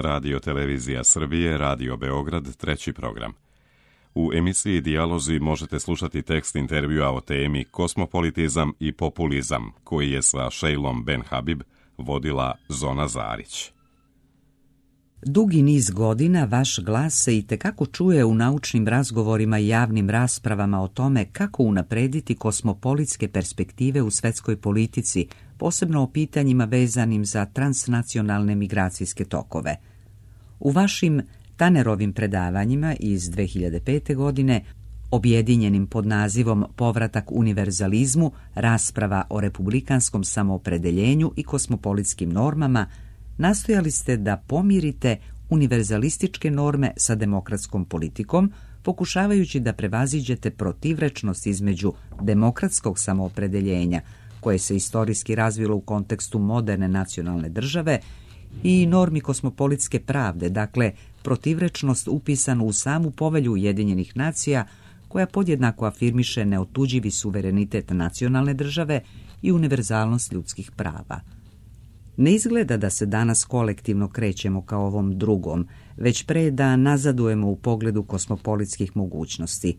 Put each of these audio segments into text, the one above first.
Radio Televizija Srbije, Radio Beograd, treći program. U emisiji Dijalozi možete slušati tekst intervjua o temi Kosmopolitizam i populizam, koji je sa Šejlom Ben Habib vodila Zona Zarić. Dugi niz godina vaš glas se itekako čuje u naučnim razgovorima i javnim raspravama o tome kako unaprediti kosmopolitske perspektive u svetskoj politici, posebno o pitanjima vezanim za transnacionalne migracijske tokove. U vašim Tanerovim predavanjima iz 2005. godine, objedinjenim pod nazivom Povratak univerzalizmu, rasprava o republikanskom samoopredeljenju i kosmopolitskim normama, nastojali ste da pomirite univerzalističke norme sa demokratskom politikom, pokušavajući da prevaziđete protivrečnost između demokratskog samoopredeljenja, koje se istorijski razvilo u kontekstu moderne nacionalne države, i normi kosmopolitske pravde, dakle protivrečnost upisanu u samu povelju Ujedinjenih nacija, koja podjednako afirmiše neotuđivi suverenitet nacionalne države i univerzalnost ljudskih prava. Ne izgleda da se danas kolektivno krećemo ka ovom drugom, već pre da nazadujemo u pogledu kosmopolitskih mogućnosti.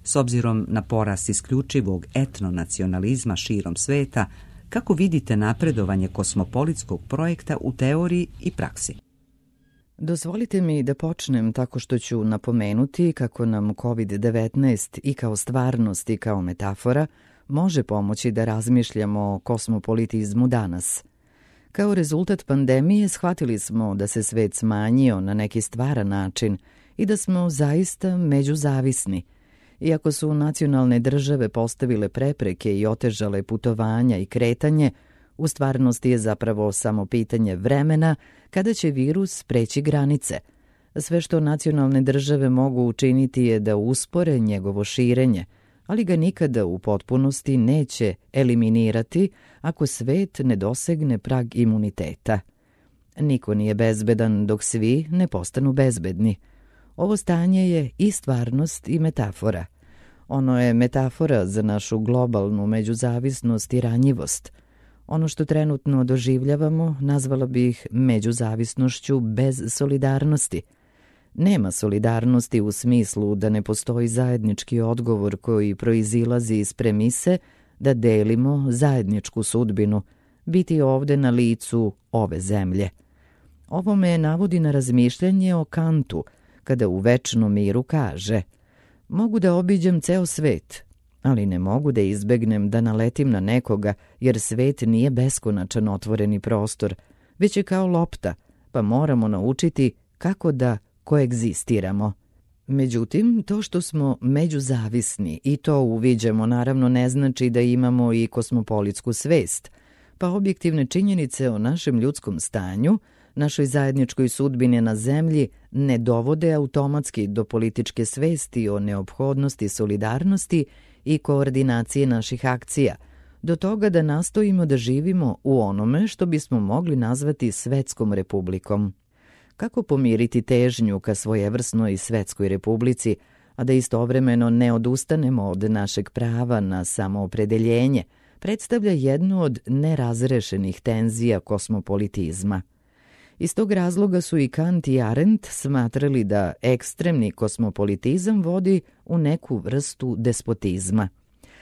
S obzirom na porast isključivog etnonacionalizma širom sveta, kako vidite napredovanje kosmopolitskog projekta u teoriji i praksi? Dozvolite mi da počnem tako što ću napomenuti kako nam COVID-19 i kao stvarnost i kao metafora može pomoći da razmišljamo o kosmopolitizmu danas. Kao rezultat pandemije shvatili smo da se svet smanjio na neki stvaran način i da smo zaista međuzavisni. Iako su nacionalne države postavile prepreke i otežale putovanja i kretanje, u stvarnosti je zapravo samo pitanje vremena kada će virus preći granice. Sve što nacionalne države mogu učiniti je da uspore njegovo širenje, ali ga nikada u potpunosti neće eliminirati ako svet ne dosegne prag imuniteta. Niko nije bezbedan dok svi ne postanu bezbedni. Ovo stanje je i stvarnost i metafora. Ono je metafora za našu globalnu međuzavisnost i ranjivost. Ono što trenutno doživljavamo nazvala bih međuzavisnošću bez solidarnosti. Nema solidarnosti u smislu da ne postoji zajednički odgovor koji proizilazi iz premise da delimo zajedničku sudbinu, biti ovde na licu ove zemlje. Ovo me navodi na razmišljanje o Kantu, kada u Večnom miru kaže: mogu da obiđem ceo svet, ali ne mogu da izbegnem da naletim na nekoga, jer svet nije beskonačan otvoreni prostor, već je kao lopta, pa moramo naučiti kako da koegzistiramo. Međutim, to što smo međuzavisni i to uviđamo naravno ne znači da imamo i kosmopolitsku svest, pa objektivne činjenice o našem ljudskom stanju, našoj zajedničkoj sudbini na zemlji ne dovode automatski do političke svesti o neophodnosti solidarnosti i koordinacije naših akcija, do toga da nastojimo da živimo u onome što bismo mogli nazvati svetskom republikom. Kako pomiriti težnju ka svojevrsnoj svetskoj republici, a da istovremeno ne odustanemo od našeg prava na samoopredeljenje, predstavlja jednu od nerazrešenih tenzija kosmopolitizma. Iz tog razloga su i Kant i Arendt smatrali da ekstremni kosmopolitizam vodi u neku vrstu despotizma.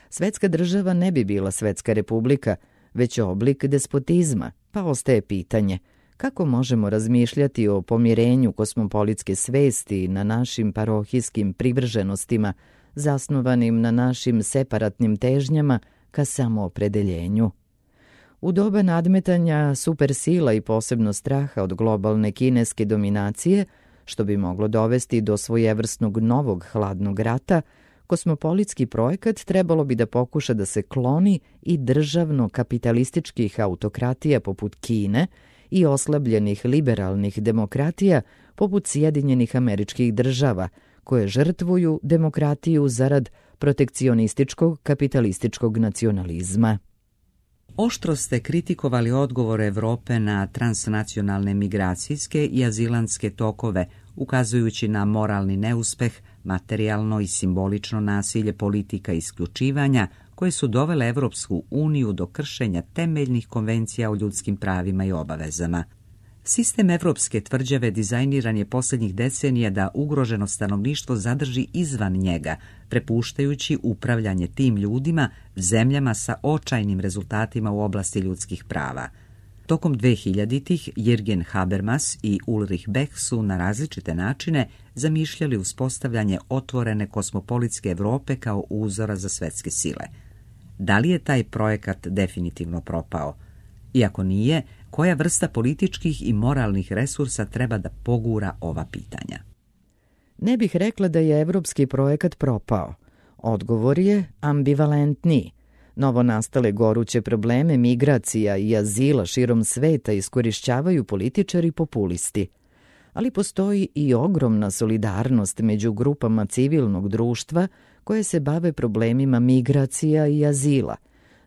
Svetska država ne bi bila svetska republika, već oblik despotizma, pa ostaje pitanje kako možemo razmišljati o pomirenju kosmopolitske svesti na našim parohijskim privrženostima, zasnovanim na našim separatnim težnjama ka samoopredeljenju. U doba nadmetanja supersila i posebno straha od globalne kineske dominacije, što bi moglo dovesti do svojevrsnog novog hladnog rata, kosmopolitski projekat trebalo bi da pokuša da se kloni i državno-kapitalističkih autokratija poput Kine i oslabljenih liberalnih demokratija poput Sjedinjenih Američkih Država, koje žrtvuju demokratiju zarad protekcionističkog kapitalističkog nacionalizma. Oštro ste kritikovali odgovor Evrope na transnacionalne migracijske i azilantske tokove, ukazujući na moralni neuspeh, materijalno i simbolično nasilje politika isključivanja koje su dovele Evropsku uniju do kršenja temeljnih konvencija o ljudskim pravima i obavezama. Sistem evropske tvrđave dizajniran je posljednjih decenija da ugroženo stanovništvo zadrži izvan njega, prepuštajući upravljanje tim ljudima zemljama sa očajnim rezultatima u oblasti ljudskih prava. Tokom 2000-ih Jürgen Habermas i Ulrich Beck su na različite načine zamišljali uspostavljanje otvorene kosmopolitske Europe kao uzora za svjetske sile. Da li je taj projekat definitivno propao? Iako nije, koja vrsta političkih i moralnih resursa treba da pogura ova pitanja? Ne bih rekla da je evropski projekat propao. Odgovor je ambivalentniji. Novonastale goruće probleme migracija i azila širom sveta iskorišćavaju političari populisti. Ali postoji i ogromna solidarnost među grupama civilnog društva koje se bave problemima migracija i azila.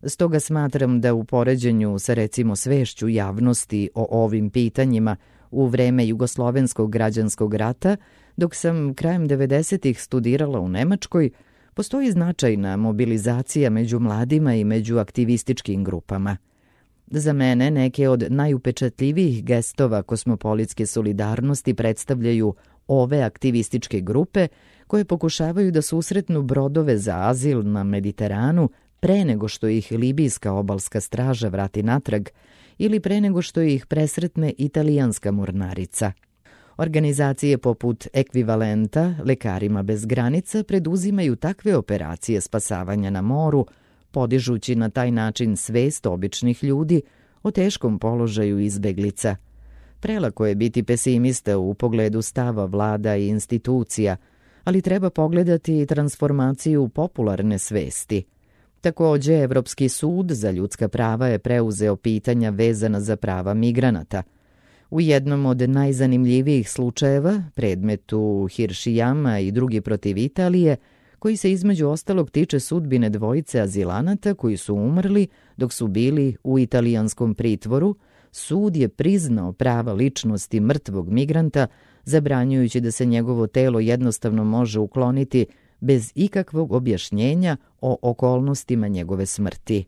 Stoga smatram da u poređenju sa recimo svešću javnosti o ovim pitanjima u vreme Jugoslovenskog građanskog rata, dok sam krajem 90-ih studirala u Nemačkoj, postoji značajna mobilizacija među mladima i među aktivističkim grupama. Za mene neke od najupečatljivijih gestova kosmopolitske solidarnosti predstavljaju ove aktivističke grupe koje pokušavaju da susretnu brodove za azil na Mediteranu pre nego što ih libijska obalska straža vrati natrag ili pre nego što ih presretne italijanska mornarica. Organizacije poput Ekvivalenta, Lekarima bez granica preduzimaju takve operacije spasavanja na moru, podižući na taj način svest običnih ljudi o teškom položaju izbeglica. Prelako je biti pesimista u pogledu stava vlada i institucija, ali treba pogledati i transformaciju popularne svesti. Takođe, Evropski sud za ljudska prava je preuzeo pitanja vezana za prava migranata. U jednom od najzanimljivijih slučajeva, predmetu Hiršijama i drugi protiv Italije, koji se između ostalog tiče sudbine dvojice azilanata koji su umrli dok su bili u italijanskom pritvoru, sud je priznao prava ličnosti mrtvog migranta, zabranjujući da se njegovo telo jednostavno može ukloniti bez ikakvog objašnjenja o okolnostima njegove smrti.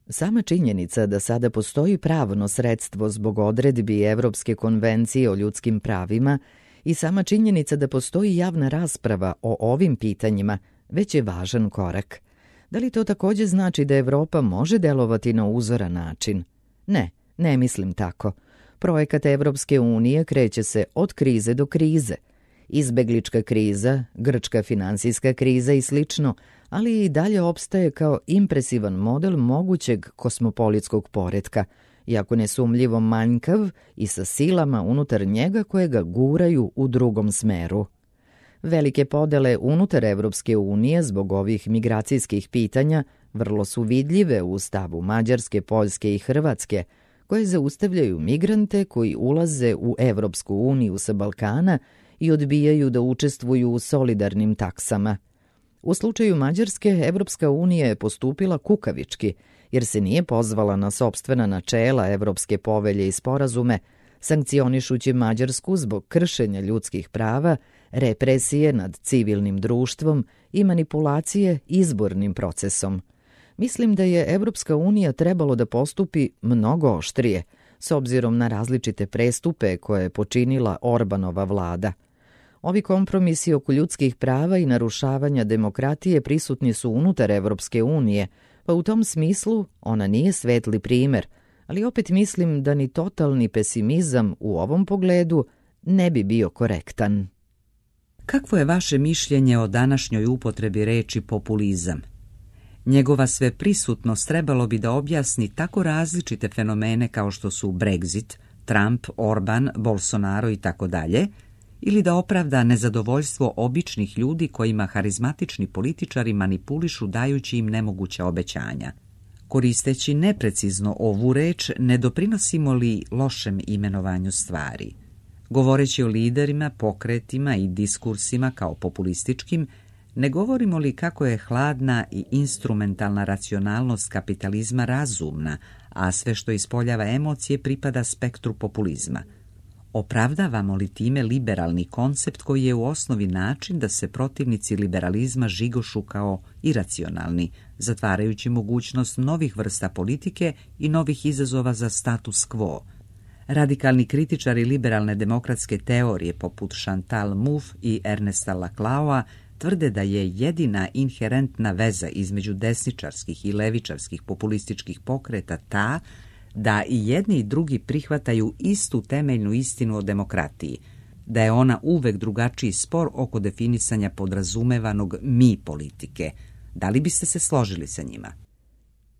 Sama činjenica da sada postoji pravno sredstvo zbog odredbi Evropske konvencije o ljudskim pravima i sama činjenica da postoji javna rasprava o ovim pitanjima već je važan korak. Da li to takođe znači da Evropa može delovati na uzoran način? Ne mislim tako. Projekat Evropske unije kreće se od krize do krize. Izbeglička kriza, grčka finansijska kriza i slično, ali i dalje opstaje kao impresivan model mogućeg kosmopolitskog poretka, iako nesumljivo manjkav i sa silama unutar njega koje ga guraju u drugom smeru. Velike podele unutar Evropske unije zbog ovih migracijskih pitanja vrlo su vidljive u stavu Mađarske, Poljske i Hrvatske, koje zaustavljaju migrante koji ulaze u Evropsku uniju sa Balkana i odbijaju da učestvuju u solidarnim taksama. U slučaju Mađarske, Evropska unija je postupila kukavički, jer se nije pozvala na sopstvena načela Evropske povelje i sporazume, sankcionišući Mađarsku zbog kršenja ljudskih prava, represije nad civilnim društvom i manipulacije izbornim procesom. Mislim da je Evropska unija trebalo da postupi mnogo oštrije, s obzirom na različite prestupe koje je počinila Orbanova vlada. Ovi kompromisi oko ljudskih prava i narušavanja demokratije prisutni su unutar Evropske unije, pa u tom smislu ona nije svetli primer, ali opet mislim da ni totalni pesimizam u ovom pogledu ne bi bio korektan. Kakvo je vaše mišljenje o današnjoj upotrebi reči populizam? Njegova sveprisutnost trebalo bi da objasni tako različite fenomene kao što su Brexit, Trump, Orban, Bolsonaro i tako dalje, ili da opravda nezadovoljstvo običnih ljudi kojima harizmatični političari manipulišu dajući im nemoguća obećanja. Koristeći neprecizno ovu reč, ne doprinosimo li lošem imenovanju stvari? Govoreći o liderima, pokretima i diskursima kao populističkim, ne govorimo li kako je hladna i instrumentalna racionalnost kapitalizma razumna, a sve što ispoljava emocije pripada spektru populizma? Opravdavamo li time liberalni koncept koji je u osnovi način da se protivnici liberalizma žigošu kao iracionalni, zatvarajući mogućnost novih vrsta politike i novih izazova za status quo? Radikalni kritičari liberalne demokratske teorije poput Chantal Mouffe i Ernesta Laclaua tvrde da je jedina inherentna veza između desničarskih i levičarskih populističkih pokreta ta da i jedni i drugi prihvataju istu temeljnu istinu o demokratiji, da je ona uvek drugačiji spor oko definisanja podrazumevanog mi politike. Da li biste se složili sa njima?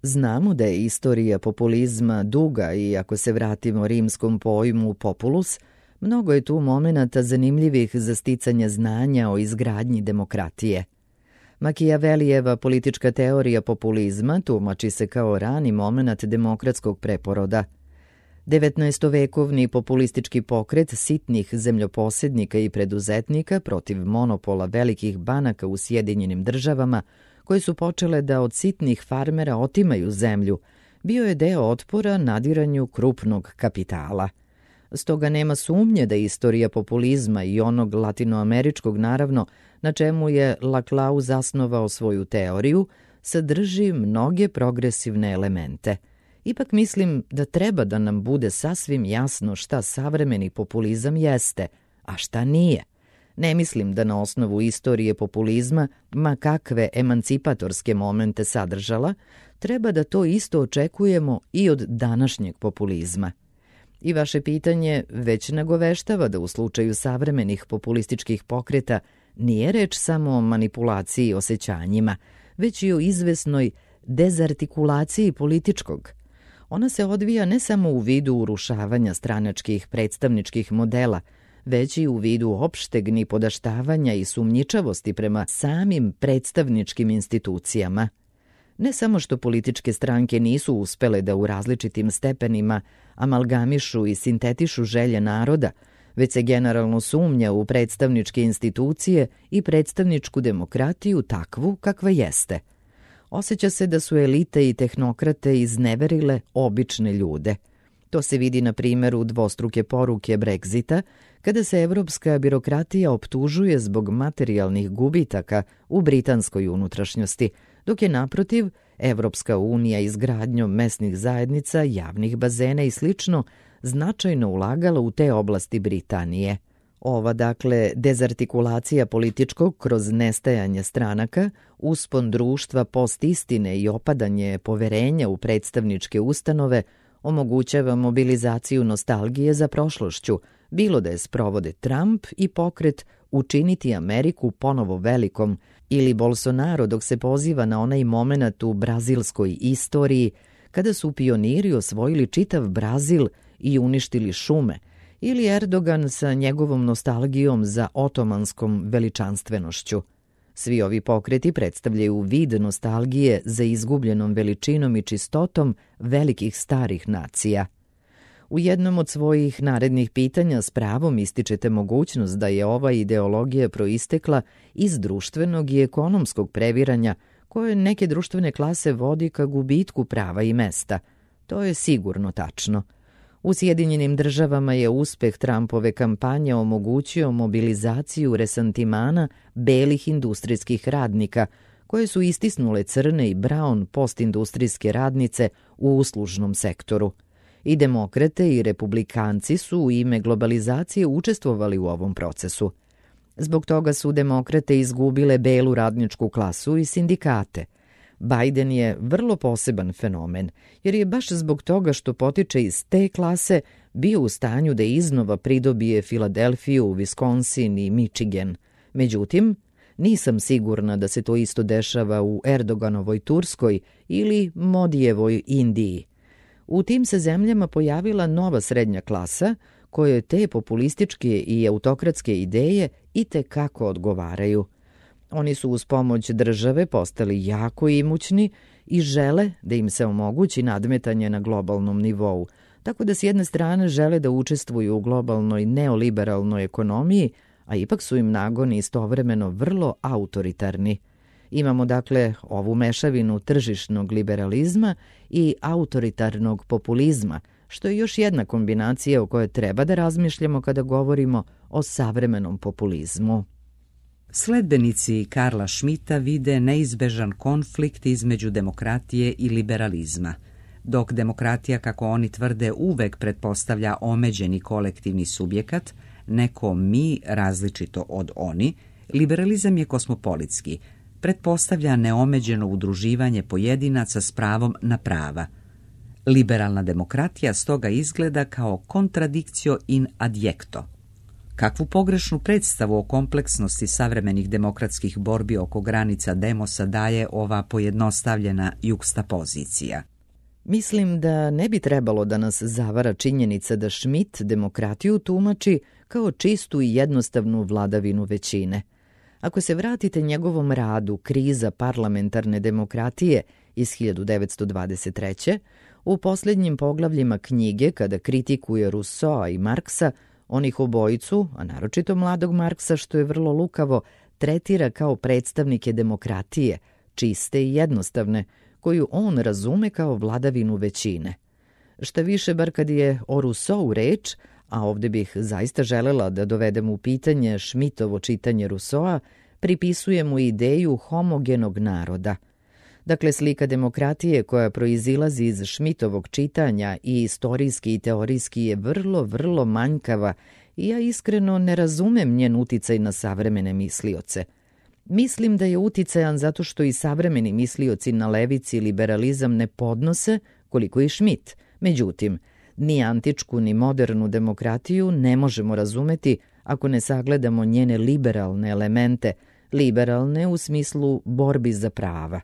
Znamo da je istorija populizma duga i ako se vratimo rimskom pojmu populus, mnogo je tu momenata zanimljivih za sticanje znanja o izgradnji demokratije. Makijavelijeva politička teorija populizma tumači se kao rani moment demokratskog preporoda. 19-vekovni populistički pokret sitnih zemljoposednika i preduzetnika protiv monopola velikih banaka u Sjedinjenim Državama, koje su počele da od sitnih farmera otimaju zemlju, bio je deo otpora nadiranju krupnog kapitala. Stoga nema sumnje da istorija populizma i onog latinoameričkog naravno, na čemu je Laclau zasnovao svoju teoriju, sadrži mnoge progresivne elemente. Ipak mislim da treba da nam bude sasvim jasno šta savremeni populizam jeste, a šta nije. Ne mislim da na osnovu istorije populizma, ma kakve emancipatorske momente sadržala, treba da to isto očekujemo i od današnjeg populizma. I vaše pitanje već nagoveštava da u slučaju savremenih populističkih pokreta nije reč samo o manipulaciji osjećanjima, već i o izvesnoj dezartikulaciji političkog. Ona se odvija ne samo u vidu urušavanja stranačkih predstavničkih modela, već i u vidu opšteg nipodaštavanja i sumnjičavosti prema samim predstavničkim institucijama. Ne samo što političke stranke nisu uspele da u različitim stepenima amalgamišu i sintetišu želje naroda, već se generalno sumnja u predstavničke institucije i predstavničku demokratiju takvu kakva jeste. Osjeća se da su elite i tehnokrate izneverile obične ljude. To se vidi na primjeru dvostruke poruke Brexita, kada se evropska birokratija optužuje zbog materijalnih gubitaka u britanskoj unutrašnjosti, dok je naprotiv Evropska unija izgradnjom mesnih zajednica, javnih bazena i slično značajno ulagala u te oblasti Britanije. Ova, dakle, dezartikulacija političkog kroz nestajanje stranaka, uspon društva postistine i opadanje poverenja u predstavničke ustanove omogućava mobilizaciju nostalgije za prošlošću, bilo da je sprovode Trump i pokret učiniti Ameriku ponovo velikom ili Bolsonaro dok se poziva na onaj moment u brazilskoj istoriji kada su pioniri osvojili čitav Brazil i uništili šume, ili Erdogan sa njegovom nostalgijom za otomanskom veličanstvenošću. Svi ovi pokreti predstavljaju vid nostalgije za izgubljenom veličinom i čistotom velikih starih nacija. U jednom od svojih narednih pitanja s pravom ističete mogućnost da je ova ideologija proistekla iz društvenog i ekonomskog previranja koje neke društvene klase vodi ka gubitku prava i mesta. To je sigurno tačno. U Sjedinjenim Državama je uspeh Trumpove kampanje omogućio mobilizaciju resantimana belih industrijskih radnika, koje su istisnule crne i brown postindustrijske radnice u uslužnom sektoru. I demokrate i republikanci su u ime globalizacije učestvovali u ovom procesu. Zbog toga su demokrate izgubile belu radničku klasu i sindikate. Biden je vrlo poseban fenomen, jer je baš zbog toga što potiče iz te klase bio u stanju da iznova pridobije Filadelfiju, Wisconsin i Michigan. Međutim, nisam sigurna da se to isto dešava u Erdoganovoj Turskoj ili Modijevoj Indiji. U tim se zemljama pojavila nova srednja klasa kojoj te populističke i autokratske ideje itekako odgovaraju. Oni su uz pomoć države postali jako imućni i žele da im se omogući nadmetanje na globalnom nivou, tako da s jedne strane žele da učestvuju u globalnoj neoliberalnoj ekonomiji, a ipak su im nagoni istovremeno vrlo autoritarni. Imamo dakle ovu mešavinu tržišnog liberalizma i autoritarnog populizma, što je još jedna kombinacija o kojoj treba da razmišljamo kada govorimo o savremenom populizmu. Sledbenici Karla Schmitta vide neizbežan konflikt između demokratije i liberalizma. Dok demokratija, kako oni tvrde, uvek pretpostavlja omeđeni kolektivni subjekat, neko mi različito od oni, liberalizam je kosmopolitski, pretpostavlja neomeđeno udruživanje pojedinaca s pravom na prava. Liberalna demokratija stoga izgleda kao contradictio in adjecto. Kakvu pogrešnu predstavu o kompleksnosti savremenih demokratskih borbi oko granica demosa daje ova pojednostavljena jukstapozicija? Mislim da ne bi trebalo da nas zavara činjenica da Schmitt demokratiju tumači kao čistu i jednostavnu vladavinu većine. Ako se vratite njegovom radu Kriza parlamentarne demokratije iz 1923. u posljednjim poglavljima knjige, kada kritikuje Rousseaua i Marksa, onih obojicu, a naročito mladog Marksa, što je vrlo lukavo, tretira kao predstavnike demokratije, čiste i jednostavne, koju on razume kao vladavinu većine. Šta više, bar kad je o Rousseau reč, a ovdje bih zaista želela da dovedem u pitanje Schmittovo čitanje Rousseaua, pripisuje mu ideju homogenog naroda. Dakle, slika demokratije koja proizilazi iz Schmittovog čitanja i istorijski i teorijski je vrlo manjkava i ja iskreno ne razumem njen uticaj na savremene mislioce. Mislim da je uticajan zato što i savremeni mislioci na levici liberalizam ne podnose koliko i Schmitt. Međutim, ni antičku ni modernu demokratiju ne možemo razumeti ako ne sagledamo njene liberalne elemente, liberalne u smislu borbi za prava.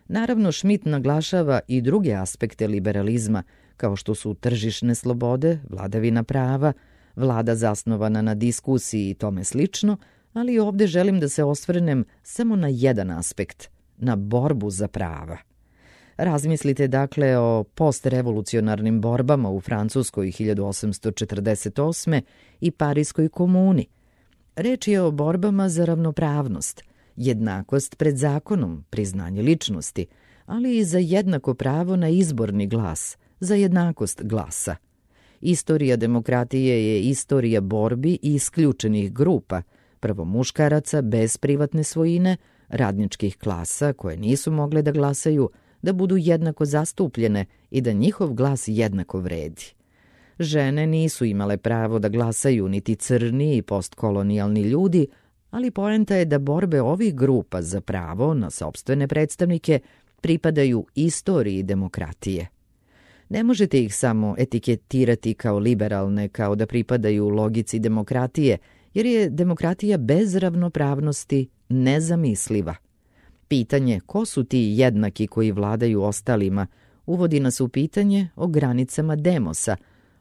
Naravno, Schmitt naglašava i druge aspekte liberalizma, kao što su tržišne slobode, vladavina prava, vlada zasnovana na diskusiji i tome slično, ali ovdje želim da se osvrnem samo na jedan aspekt, na borbu za prava. Razmislite dakle o postrevolucionarnim borbama u Francuskoj 1848. i Parijskoj komuni. Reč je o borbama za ravnopravnost, jednakost pred zakonom, priznanje ličnosti, ali i za jednako pravo na izborni glas, za jednakost glasa. Istorija demokratije je istorija borbi i isključenih grupa, prvo muškaraca bez privatne svojine, radničkih klasa koje nisu mogle da glasaju, da budu jednako zastupljene i da njihov glas jednako vredi. Žene nisu imale pravo da glasaju niti crni i postkolonijalni ljudi, ali poenta je da borbe ovih grupa za pravo na sopstvene predstavnike pripadaju istoriji demokratije. Ne možete ih samo etiketirati kao liberalne, kao da pripadaju logici demokratije, jer je demokratija bez ravnopravnosti nezamisliva. Pitanje ko su ti jednaki koji vladaju ostalima uvodi nas u pitanje o granicama demosa,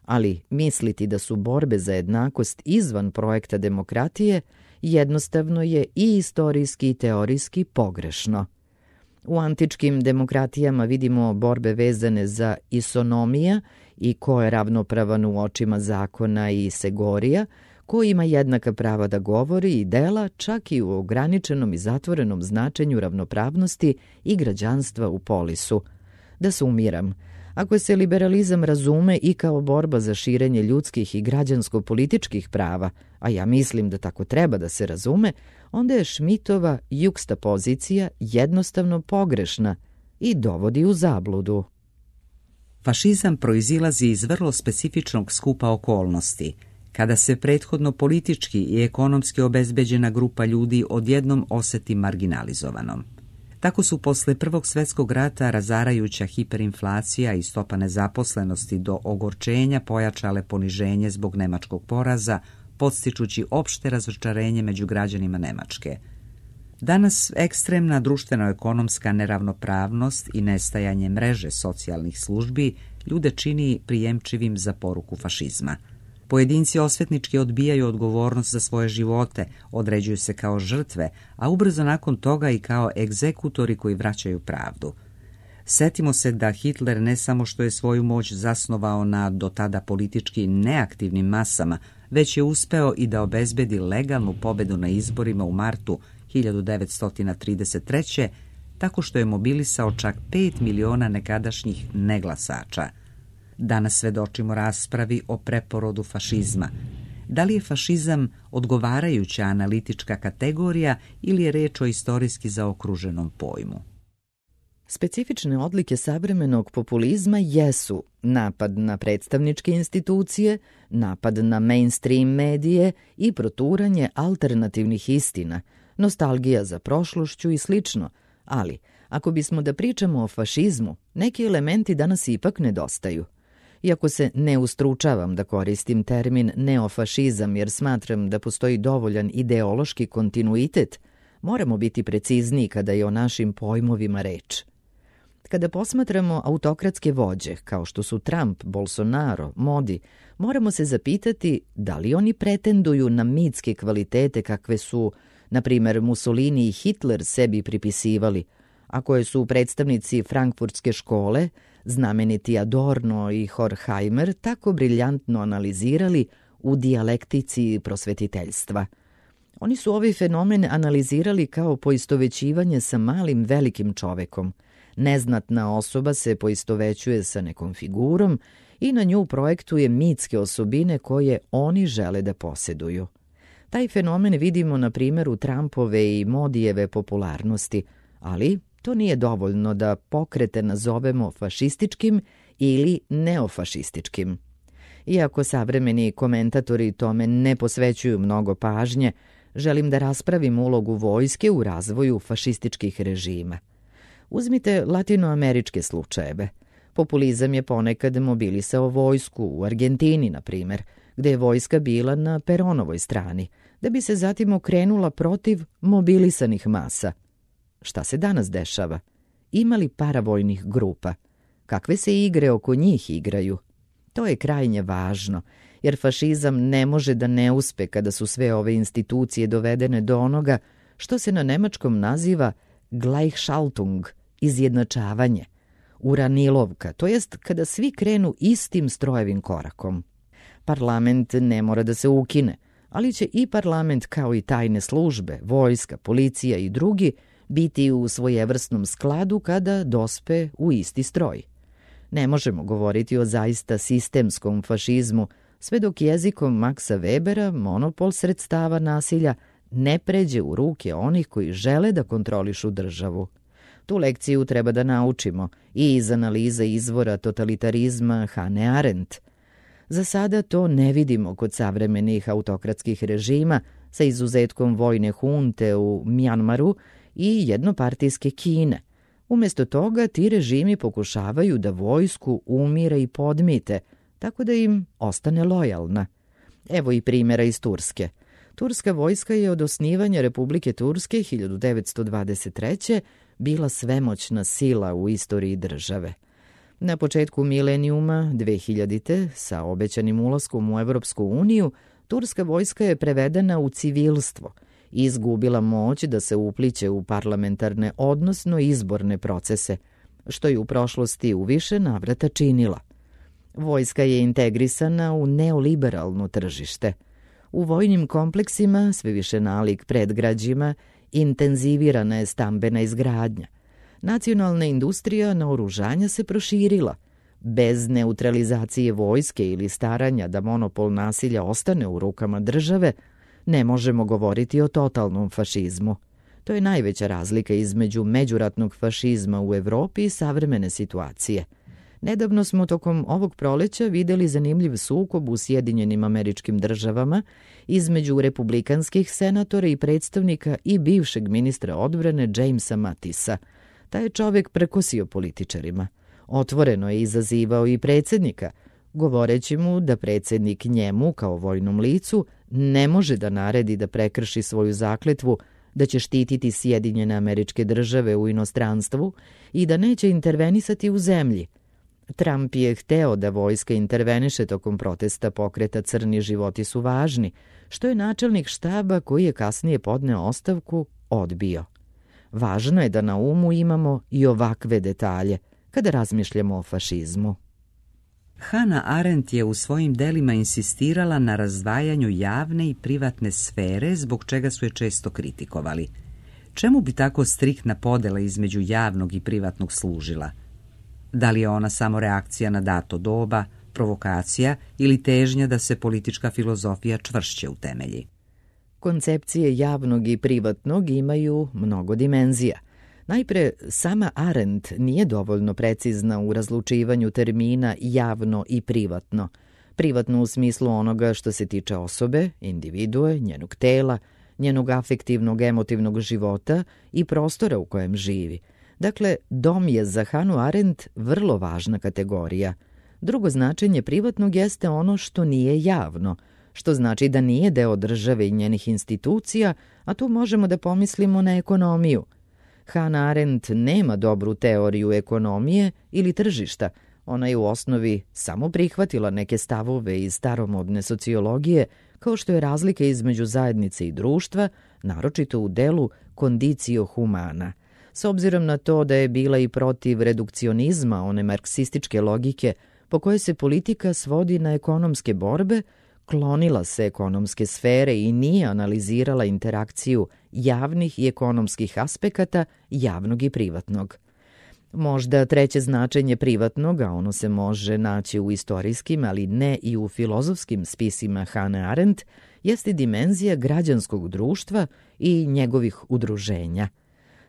ali misliti da su borbe za jednakost izvan projekta demokratije jednostavno je i istorijski i teorijski pogrešno. U antičkim demokratijama vidimo borbe vezane za isonomija i ko je ravnopravan u očima zakona i segorija, ko ima jednaka prava da govori i dela, čak i u ograničenom i zatvorenom značenju ravnopravnosti i građanstva u polisu. Da sumiram, ako se liberalizam razume i kao borba za širenje ljudskih i građansko-političkih prava, a ja mislim da tako treba da se razume, onda je Schmittova jukstapozicija jednostavno pogrešna i dovodi u zabludu. Fašizam proizilazi iz vrlo specifičnog skupa okolnosti, kada se prethodno politički i ekonomski obezbeđena grupa ljudi odjednom oseti marginalizovanom. Tako su posle Prvog svjetskog rata razarajuća hiperinflacija i stopa nezaposlenosti do ogorčenja pojačale poniženje zbog nemačkog poraza, podstičući opšte razočarenje među građanima Nemačke. Danas ekstremna društveno-ekonomska neravnopravnost i nestajanje mreže socijalnih službi ljude čini prijemčivim za poruku fašizma. Pojedinci osvetnički odbijaju odgovornost za svoje živote, određuju se kao žrtve, a ubrzo nakon toga i kao egzekutori koji vraćaju pravdu. Setimo se da Hitler ne samo što je svoju moć zasnovao na do tada politički neaktivnim masama, već je uspeo i da obezbedi legalnu pobedu na izborima u martu 1933. tako što je mobilisao čak 5 miliona nekadašnjih neglasača. Danas svedočimo raspravi o preporodu fašizma. Da li je fašizam odgovarajuća analitička kategorija ili je reč o istorijski zaokruženom pojmu? Specifične odlike savremenog populizma jesu napad na predstavničke institucije, napad na mainstream medije i proturanje alternativnih istina, nostalgija za prošlošću i slično, ali ako bismo da pričamo o fašizmu, neki elementi danas ipak nedostaju. Iako se ne ustručavam da koristim termin neofašizam jer smatram da postoji dovoljan ideološki kontinuitet, moramo biti precizniji kada je o našim pojmovima reč. Kada posmatramo autokratske vođe, kao što su Trump, Bolsonaro, Modi, moramo se zapitati da li oni pretenduju na mitske kvalitete kakve su, na primer, Mussolini i Hitler sebi pripisivali, a koje su predstavnici frankfurtske škole, znameniti Adorno i Horkheimer, tako briljantno analizirali u dijalektici prosvetiteljstva. Oni su ovaj fenomen analizirali kao poistovećivanje sa malim velikim čovekom. Neznatna osoba se poistovećuje sa nekom figurom i na nju projektuje mitske osobine koje oni žele da posjeduju. Taj fenomen vidimo na primjeru Trumpove i Modijeve popularnosti, ali to nije dovoljno da pokrete nazovemo fašističkim ili neofašističkim. Iako savremeni komentatori tome ne posvećuju mnogo pažnje, želim da raspravim ulogu vojske u razvoju fašističkih režima. Uzmite latinoameričke slučajeve. Populizam je ponekad mobilisao vojsku u Argentini, na primjer, gde je vojska bila na Peronovoj strani, da bi se zatim okrenula protiv mobilisanih masa. Šta se danas dešava? Ima li paravojnih grupa? Kakve se igre oko njih igraju? To je krajnje važno, jer fašizam ne može da ne uspe kada su sve ove institucije dovedene do onoga što se na nemačkom naziva Gleichschaltung, izjednačavanje, uranilovka, to jest kada svi krenu istim strojevim korakom. Parlament ne mora da se ukine, ali će i parlament kao i tajne službe, vojska, policija i drugi biti u svojevrsnom skladu kada dospe u isti stroj. Ne možemo govoriti o zaista sistemskom fašizmu sve dok jezikom Maxa Webera monopol sredstava nasilja ne pređe u ruke onih koji žele da kontrolišu državu. Tu lekciju treba da naučimo i iz analize izvora totalitarizma Hannah Arendt. Za sada to ne vidimo kod savremenih autokratskih režima, sa izuzetkom vojne hunte u Mjanmaru i jednopartijske Kine. Umjesto toga ti režimi pokušavaju da vojsku umire i podmite, tako da im ostane lojalna. Evo i primjera iz Turske. Turska vojska je od osnivanja Republike Turske 1923. bila svemoćna sila u istoriji države. Na početku milenijuma 2000. sa obećanim ulaskom u Evropsku uniju, turska vojska je prevedena u civilstvo i izgubila moć da se upliće u parlamentarne, odnosno izborne procese, što je u prošlosti u više navrata činila. Vojska je integrisana u neoliberalno tržište. U vojnim kompleksima, sve više nalik predgrađima, intenzivirana je stambena izgradnja. Nacionalna industrija naoružanja se proširila. Bez neutralizacije vojske ili staranja da monopol nasilja ostane u rukama države, ne možemo govoriti o totalnom fašizmu. To je najveća razlika između međuratnog fašizma u Evropi i savremene situacije. Nedavno smo tokom ovog proleća videli zanimljiv sukob u Sjedinjenim Američkim Državama između republikanskih senatora i predstavnika i bivšeg ministra odbrane Jamesa Mattisa. Taj je čovjek prekosio političarima. Otvoreno je izazivao i predsjednika, govoreći mu da predsjednik njemu, kao vojnom licu, ne može da naredi da prekrši svoju zakletvu da će štititi Sjedinjene Američke Države u inostranstvu i da neće intervenisati u zemlji. Trump je hteo da vojska interveniše tokom protesta pokreta Crni životi su važni, što je načelnik štaba koji je kasnije podneo ostavku odbio. Važno je da na umu imamo i ovakve detalje kada razmišljamo o fašizmu. Hannah Arendt je u svojim delima insistirala na razdvajanju javne i privatne sfere, zbog čega su je često kritikovali. Čemu bi tako striktna podela između javnog i privatnog služila? Da li je ona samo reakcija na dato doba, provokacija ili težnja da se politička filozofija čvršće utemelji? Koncepcije javnog i privatnog imaju mnogo dimenzija. Najpre, sama Arendt nije dovoljno precizna u razlučivanju termina javno i privatno. Privatno u smislu onoga što se tiče osobe, individue, njenog tela, njenog afektivnog, emotivnog života i prostora u kojem živi. Dakle, dom je za Hannah Arendt vrlo važna kategorija. Drugo značenje privatnog jeste ono što nije javno, što znači da nije deo države i njenih institucija, a tu možemo da pomislimo na ekonomiju. Hannah Arendt nema dobru teoriju ekonomije ili tržišta. Ona je u osnovi samo prihvatila neke stavove iz staromodne sociologije, kao što je razlika između zajednice i društva, naročito u delu condicio humana. S obzirom na to da je bila i protiv redukcionizma, one marksističke logike, po kojoj se politika svodi na ekonomske borbe, klonila se ekonomske sfere i nije analizirala interakciju javnih i ekonomskih aspekata javnog i privatnog. Možda treće značenje privatnog, a ono se može naći u istorijskim, ali ne i u filozofskim spisima Hannah Arendt, jeste dimenzija građanskog društva i njegovih udruženja.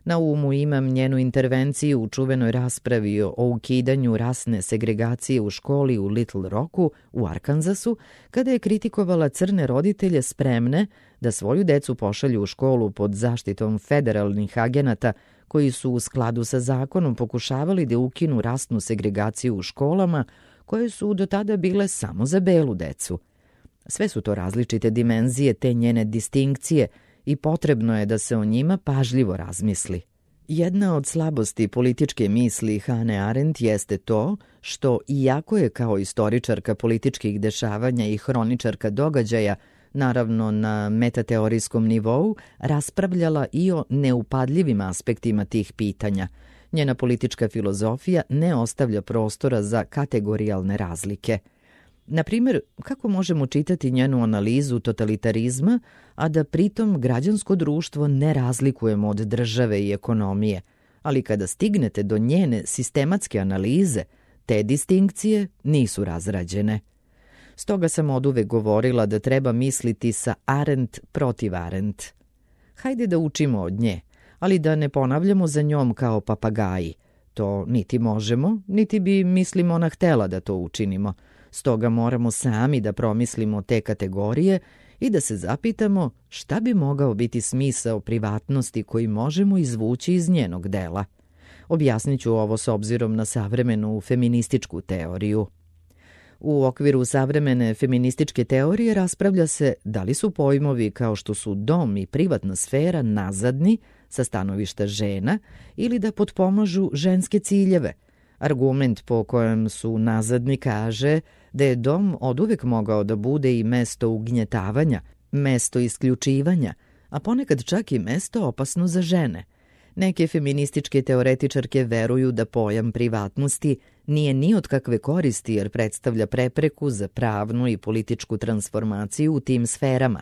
Na umu imam njenu intervenciju u čuvenoj raspravi o ukidanju rasne segregacije u školi u Little Rocku u Arkansasu, kada je kritikovala crne roditelje spremne da svoju decu pošalju u školu pod zaštitom federalnih agenata koji su u skladu sa zakonom pokušavali da ukinu rasnu segregaciju u školama koje su do tada bile samo za belu decu. Sve su to različite dimenzije te njene distinkcije i potrebno je da se o njima pažljivo razmisli. Jedna od slabosti političke misli Hannah Arendt jeste to što, iako je kao istoričarka političkih dešavanja i hroničarka događaja, naravno na metateorijskom nivou, raspravljala i o neupadljivim aspektima tih pitanja. Njena politička filozofija ne ostavlja prostora za kategorijalne razlike. Na primjer, kako možemo čitati njenu analizu totalitarizma, a da pritom građansko društvo ne razlikujemo od države i ekonomije, ali kada stignete do njene sistematske analize, te distinkcije nisu razrađene. Stoga sam oduvek govorila da treba misliti sa Arendt protiv Arendt. Hajde da učimo od nje, ali da ne ponavljamo za njom kao papagaji. To niti možemo, niti bi, mislim, ona htela da to učinimo. Stoga moramo sami da promislimo te kategorije i da se zapitamo šta bi mogao biti smisao privatnosti koji možemo izvući iz njenog dela. Objasnit ću ovo s obzirom na savremenu feminističku teoriju. U okviru savremene feminističke teorije raspravlja se da li su pojmovi kao što su dom i privatna sfera nazadni sa stanovišta žena ili da potpomažu ženske ciljeve. Argument po kojem su nazadni kaže da je dom oduvek mogao da bude i mesto ugnjetavanja, mesto isključivanja, a ponekad čak i mesto opasno za žene. Neke feminističke teoretičarke veruju da pojam privatnosti nije ni od kakve koristi jer predstavlja prepreku za pravnu i političku transformaciju u tim sferama.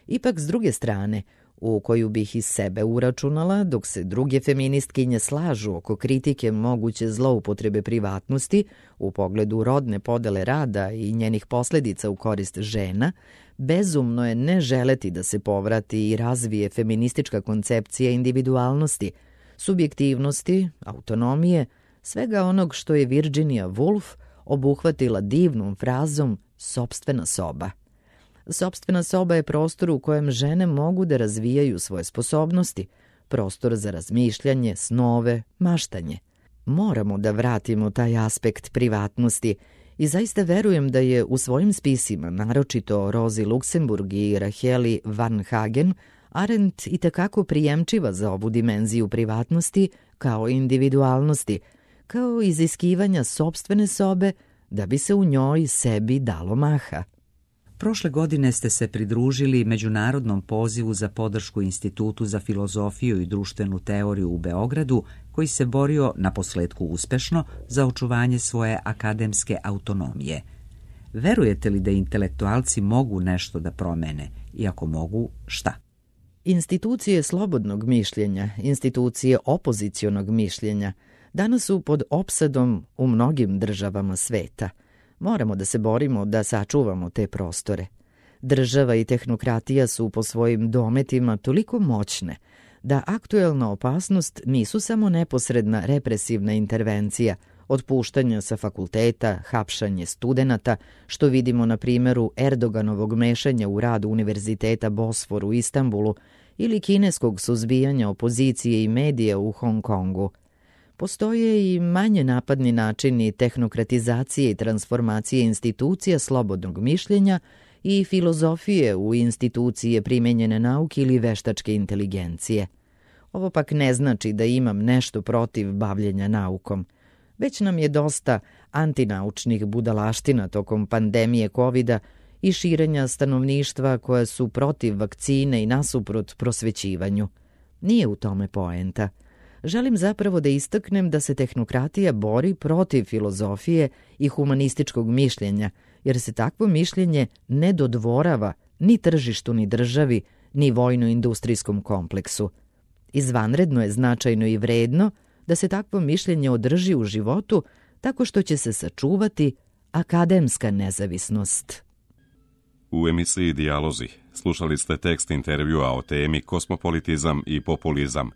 Ipak, s druge strane, u koju bih iz sebe uračunala, dok se druge feministkinje slažu oko kritike moguće zloupotrebe privatnosti u pogledu rodne podele rada i njenih posledica u korist žena, bezumno je ne želeti da se povrati i razvije feministička koncepcija individualnosti, subjektivnosti, autonomije, svega onog što je Virginia Woolf obuhvatila divnom frazom sopstvena soba. Sopstvena soba je prostor u kojem žene mogu da razvijaju svoje sposobnosti, prostor za razmišljanje, snove, maštanje. Moramo da vratimo taj aspekt privatnosti i zaista verujem da je u svojim spisima, naročito Rozi Luxemburg i Raheli Van Hagen, Arendt itekako prijemčiva za ovu dimenziju privatnosti kao individualnosti, kao iziskivanja sopstvene sobe da bi se u njoj sebi dalo maha. Prošle godine ste se pridružili međunarodnom pozivu za podršku Institutu za filozofiju i društvenu teoriju u Beogradu, koji se borio, naposletku uspešno, za očuvanje svoje akademske autonomije. Verujete li da intelektualci mogu nešto da promene? I ako mogu, šta? Institucije slobodnog mišljenja, institucije opozicionog mišljenja, danas su pod opsadom u mnogim državama sveta. Moramo da se borimo da sačuvamo te prostore. Država i tehnokratija su po svojim dometima toliko moćne da aktuelna opasnost nisu samo neposredna represivna intervencija, otpuštanja sa fakulteta, hapšanje studenata, što vidimo na primjeru Erdoganovog mešanja u rad Univerziteta Bosfor u Istanbulu ili kineskog suzbijanja opozicije i medija u Hong Kongu. Postoje i manje napadni načini tehnokratizacije i transformacije institucija slobodnog mišljenja i filozofije u institucije primenjene nauke ili veštačke inteligencije. Ovo pak ne znači da imam nešto protiv bavljenja naukom. Već nam je dosta antinaučnih budalaština tokom pandemije COVID-a i širenja stanovništva koja su protiv vakcine i nasuprot prosvećivanju. Nije u tome poenta. Želim zapravo da istaknem da se tehnokratija bori protiv filozofije i humanističkog mišljenja, jer se takvo mišljenje ne dodvorava ni tržištu, ni državi, ni vojno-industrijskom kompleksu. Izvanredno je značajno i vredno da se takvo mišljenje održi u životu tako što će se sačuvati akademska nezavisnost. U emisiji Dijalozi slušali ste tekst intervjua o temi Kosmopolitizam i populizam,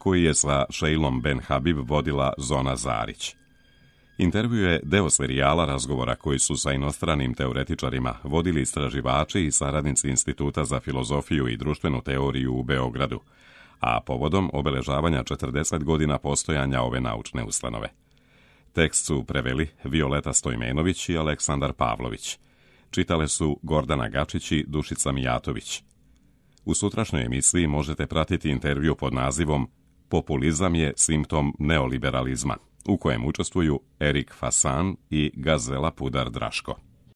koji je sa Šejlom Ben Habib vodila Zona Zarić. Intervju je deo serijala razgovora koji su sa inostranim teoretičarima vodili istraživači i saradnici Instituta za filozofiju i društvenu teoriju u Beogradu, a povodom obeležavanja 40 godina postojanja ove naučne ustanove. Tekst su preveli Violeta Stojmenović i Aleksandar Pavlović. Čitale su Gordana Gačić i Dušica Mijatović. U sutrašnjoj emisiji možete pratiti intervju pod nazivom Populizam je simptom neoliberalizma, u kojem učestvuju Erik Fasan i Gazela Pudar Draško.